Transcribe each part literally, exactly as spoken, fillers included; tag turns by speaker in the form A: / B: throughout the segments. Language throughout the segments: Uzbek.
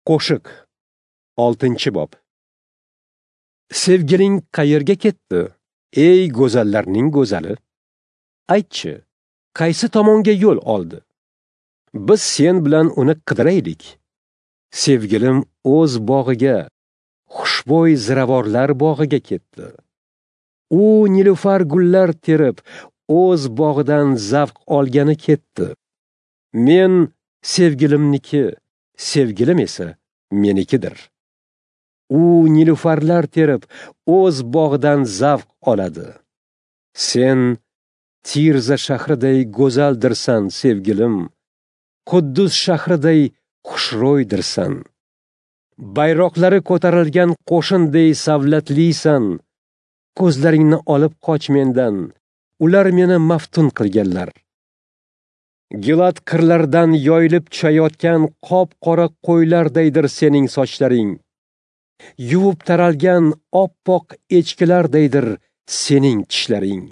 A: Qo'shiq oltinchi bob. Sevgiling qayerga ketdi, ey go'zallarning go'zali? Aytchi, qaysi tomonga yo'l oldi? Biz sen bilan uni qidiraylik. Sevgilim o'z bog'iga, xushbo'y ziravorlar bog'iga ketdi. U nilufar gullar terib, o'z bog'idan zavq olgani ketdi. Men sevgilimniki, sevgilim esa menikidir. U nilufarlar terib, o'z bog'idan zavq oladi. Sen Tirza shahriday go'zaldirsan, sevgilim. Quddus shahriday xushro'ydirsan. Bayroqlari ko'tarilgan qo'shinday savlatlisan. Ko'zlaringni olib qoch mendan. Ular meni maftun qilganlar. Gilad qirlaridan yoyilib tushayotgan qop-qora qo'ylardaydir sening sochlaring. Yuvib taralgan oppoq echkilardaydir sening tishlaring.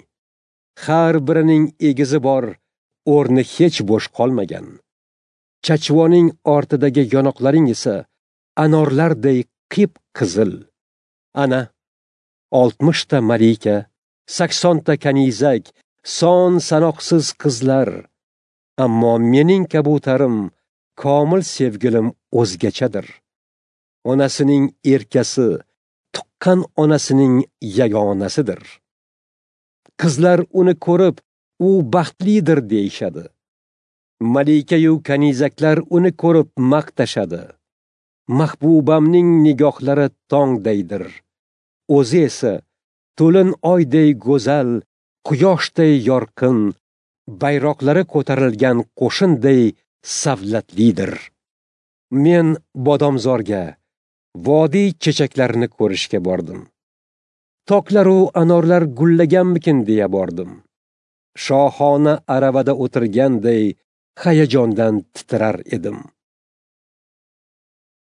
A: Har birining egizi bor, o'rni hech bo'sh qolmagan. Chachvoning ortidagi yonoqlaring esa anorlarday qip-qizil. Ana oltmishta malika, saksonta kanizak, son sanoqsiz qizlar. Ammo mening kabutarim, komil sevgilim o'zgachadir. Onasining erkasi, tuqqan onasining yagonasidir. Qizlar uni ko'rib, u baxtlidir deyishadi. Malikayu kanizaklar uni ko'rib maqtashadi. Mahbubamning nigohlari tongdaydir. O'zi esa to'lin oyday go'zal, quyoshday yorqin, bayroqlari ko'tarilgan qo'shinday savlatlidir. Men bodomzorga, vodiy chechaklarini ko'rishga bordim. Toklaru anorlar gullaganmikin deya bordim. Shohona aravada o'tirganday hayajondan titrar edim.